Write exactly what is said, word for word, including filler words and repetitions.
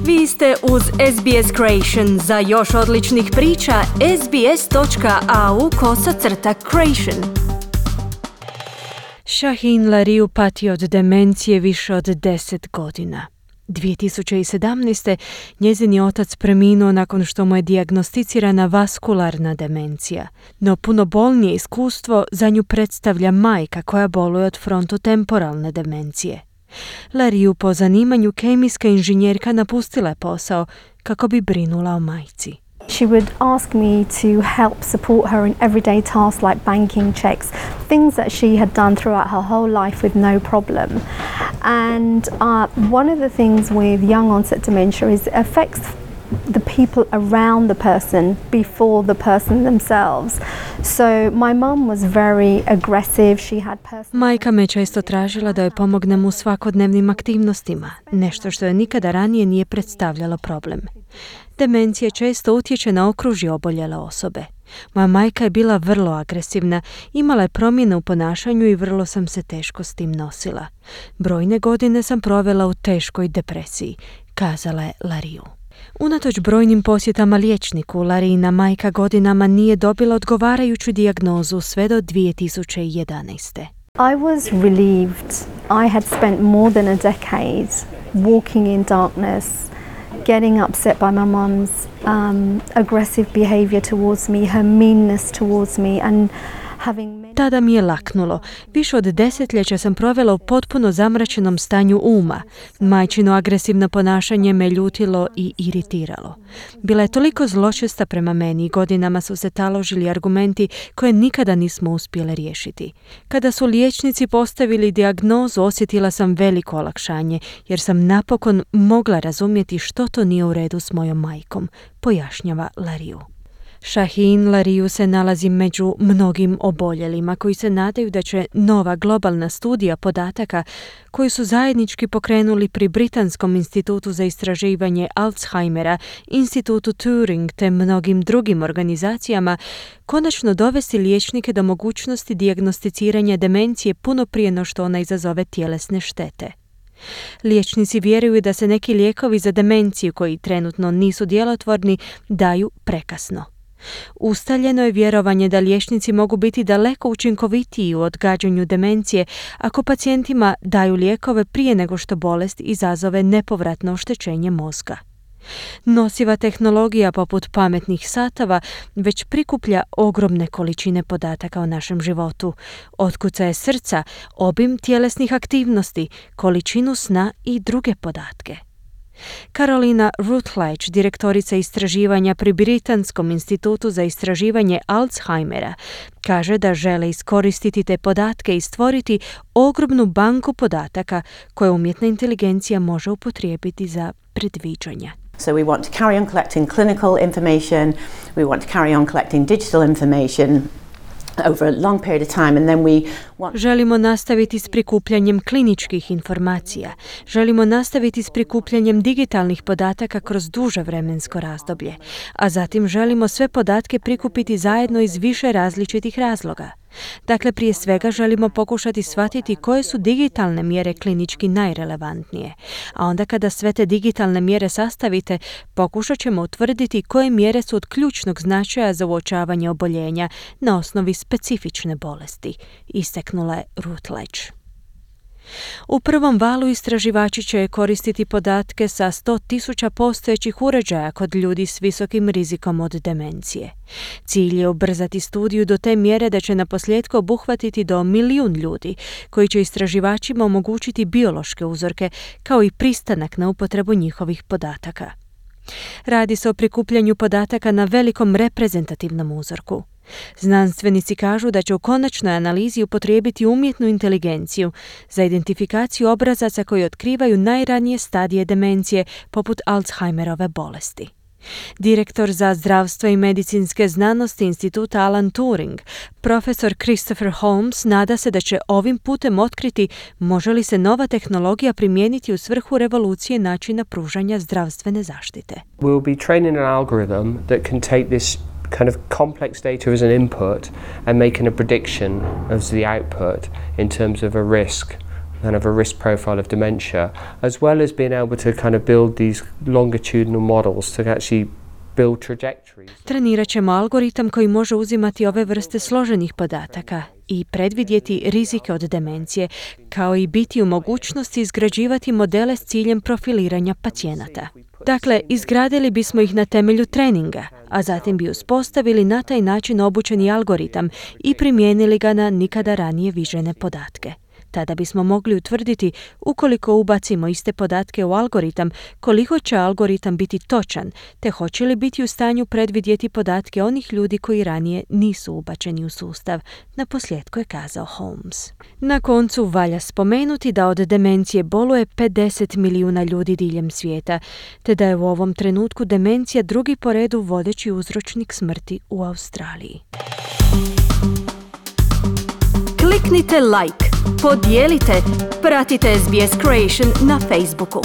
Vi ste uz S B S Creation. Za još odličnih priča, sbs.au kosacrta creation. Shaheen Larrieux pati od demencije više od deset godina. dvije tisuće sedamnaeste. njezin je otac preminuo nakon što mu je dijagnosticirana vaskularna demencija. No puno bolnije iskustvo za nju predstavlja majka koja boluje od frontotemporalne demencije. Larrieux, po zanimanju kemijska inženjerka, napustila je posao kako bi brinula o majci. She would ask me to help support her in everyday tasks like banking checks, things that she had done throughout her whole life with no problem. And uh, one of the things with young onset dementia is it affects the people around the person before the person themselves. So my mum was very aggressive. She had personal... Majka me često tražila da joj pomognem u svakodnevnim aktivnostima, nešto što je nikada ranije nije predstavljalo problem. Demencija često utječe na okružje oboljele osobe. Moja majka je bila vrlo agresivna, imala je promjene u ponašanju i vrlo sam se teško s tim nosila. Brojne godine sam provela u teškoj depresiji, kazala je Larrieux. Unatoč brojnim posjetama liječniku, Larriina majka godinama nije dobila odgovarajuću dijagnozu sve do dvije tisuće jedanaeste. I was relieved. I had spent more than a decade walking in darkness, getting upset by my mum's um, aggressive behavior towards me, her meanness towards me, and having... Tada mi je laknulo. Više od desetljeća sam provela u potpuno zamračenom stanju uma. Majčino agresivno ponašanje me ljutilo i iritiralo. Bila je toliko zločesta prema meni i godinama su se taložili argumenti koje nikada nismo uspjele riješiti. Kada su liječnici postavili dijagnozu, osjetila sam veliko olakšanje jer sam napokon mogla razumjeti što to nije u redu s mojom majkom, pojašnjava Larrieux. Shaheen Larrieux se nalazi među mnogim oboljelima koji se nadaju da će nova globalna studija podataka koju su zajednički pokrenuli pri Britanskom institutu za istraživanje Alzheimera, institutu Turing te mnogim drugim organizacijama konačno dovesti liječnike do mogućnosti dijagnosticiranja demencije puno prije no što ona izazove tjelesne štete. Liječnici vjeruju da se neki lijekovi za demenciju koji trenutno nisu djelotvorni daju prekasno. Ustaljeno je vjerovanje da liječnici mogu biti daleko učinkovitiji u odgađanju demencije ako pacijentima daju lijekove prije nego što bolest izazove nepovratno oštećenje mozga. Nosiva tehnologija poput pametnih satova već prikuplja ogromne količine podataka o našem životu, otkucaje srca, obim tjelesnih aktivnosti, količinu sna i druge podatke. Carolina Rutledge, direktorica istraživanja pri Britanskom institutu za istraživanje Alzheimera, kaže da žele iskoristiti te podatke i stvoriti ogromnu banku podataka koje umjetna inteligencija može upotrijebiti za predviđanja. So we want to carry on collecting clinical information, we want to carry on collecting digital information over a long period of time and then we want... Želimo nastaviti s prikupljanjem kliničkih informacija. Želimo nastaviti s prikupljanjem digitalnih podataka kroz duže vremensko razdoblje, a zatim želimo sve podatke prikupiti zajedno iz više različitih razloga. Dakle, prije svega želimo pokušati shvatiti koje su digitalne mjere klinički najrelevantnije, a onda kada sve te digitalne mjere sastavite, pokušat ćemo utvrditi koje mjere su od ključnog značaja za uočavanje oboljenja na osnovi specifične bolesti, istaknula je Rutledge. U prvom valu istraživači će koristiti podatke sa sto tisuća postojećih uređaja kod ljudi s visokim rizikom od demencije. Cilj je ubrzati studiju do te mjere da će naposljetku obuhvatiti do milijun ljudi, koji će istraživačima omogućiti biološke uzorke kao i pristanak na upotrebu njihovih podataka. Radi se o prikupljanju podataka na velikom reprezentativnom uzorku. Znanstvenici kažu da će u konačnoj analizi upotrijebiti umjetnu inteligenciju za identifikaciju obrazaca koji otkrivaju najranije stadije demencije poput Alzheimerove bolesti. Direktor za zdravstvo i medicinske znanosti instituta Alan Turing, profesor Christopher Holmes, nada se da će ovim putem otkriti može li se nova tehnologija primijeniti u svrhu revolucije načina pružanja zdravstvene zaštite. We'll be training an algorithm that can take this kind of complex data as an input and making a prediction as the output in terms of a risk kind of a risk profile of dementia, as well as being able to kind of build these longitudinal models to actually build trajectories. Trenirat ćemo algoritam koji može uzimati ove vrste složenih podataka i predvidjeti rizike od demencije, kao i biti u mogućnosti izgrađivati modele s ciljem profiliranja pacijenata. Dakle, izgradili bismo ih na temelju treninga, a zatim bi uspostavili na taj način obučeni algoritam i primijenili ga na nikada ranije viđene podatke. Tada bismo mogli utvrditi, ukoliko ubacimo iste podatke u algoritam, koliko će algoritam biti točan, te hoće li biti u stanju predvidjeti podatke onih ljudi koji ranije nisu ubačeni u sustav, naposljetku je kazao Holmes. Na koncu valja spomenuti da od demencije boluje pedeset milijuna ljudi diljem svijeta, te da je u ovom trenutku demencija drugi po redu vodeći uzročnik smrti u Australiji. Kliknite like, podijelite, pratite S B S Creation na Facebooku.